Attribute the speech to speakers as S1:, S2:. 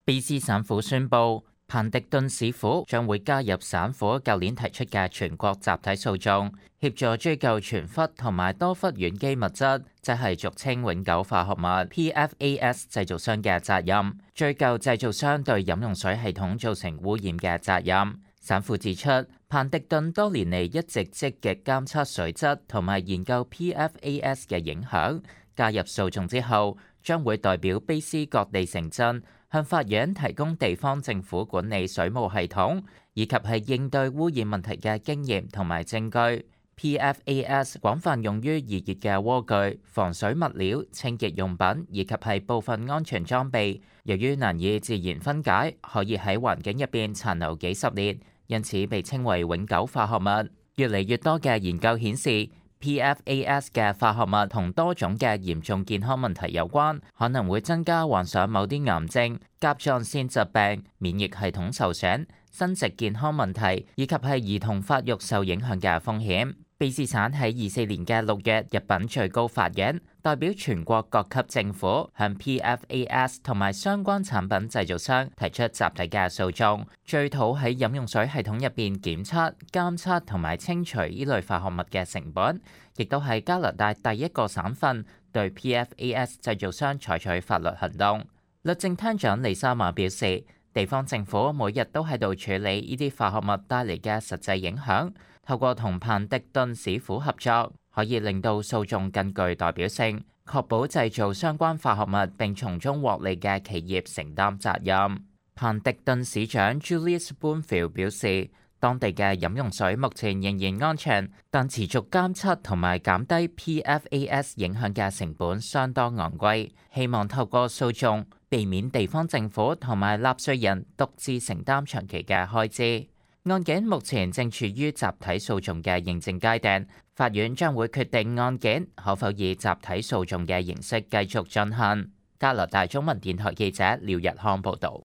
S1: 卑斯省府宣布，彭迪頓市府將會加入省府舊年提出嘅全國集體訴訟，協助追究全氟同埋多氟烷基物質，即係俗稱永久化學物 PFAS 製造商嘅責任，追究製造商對飲用水系統造成污染嘅責任。省府指出，彭迪頓多年嚟一直積極監測水質同埋研究 PFAS 嘅影響。加入訴訟之後，將會代表卑斯各地城鎮向法院提供地方政府管理水務系統，以及係應對污染問題嘅經驗同埋證據。PFAS 廣泛用於易熱嘅鍋具、防水物料、清潔用品以及係部分安全裝備。由於難以自然分解，可以喺環境入邊殘留幾十年，因此被稱為永久化學物。越嚟越多嘅研究顯示，PFAS 嘅化學物同多種嘅嚴重健康問題有關，可能會增加患上某啲癌症、甲狀腺疾病、免疫系統受損、生殖健康問題以及係兒童發育受影響嘅風險。卑斯省喺24年嘅6月入稟最高法院，代表全國各級政府向 PFAS 同埋相關產品製造商提出集體嘅訴訟，追討喺飲用水系統入邊檢測、監測同埋清除呢類化學物嘅成本，亦都係加拿大第一個省份對 PFAS 製造商採取法律行動。律政廳長李莎瑪表示，地方政府每日都喺度處理呢啲化學物帶嚟嘅實際影響。透過同彭迪頓市府合作，可以令到訴訟更具代表性，確保製造相關化學物並從中獲利嘅企業承擔責任。彭迪頓市長 Julius Boonfield 表示，當地嘅飲用水目前仍然安全，但持續監測同埋減低 PFAS 影響嘅成本相當昂貴，希望透過訴訟避免地方政府同埋納稅人獨自承擔長期嘅開支。案件目前正處於集體訴訟嘅認證階段，法院將會決定案件可否以集體訴訟嘅形式繼續進行。加拿大中文電台記者廖日康報導。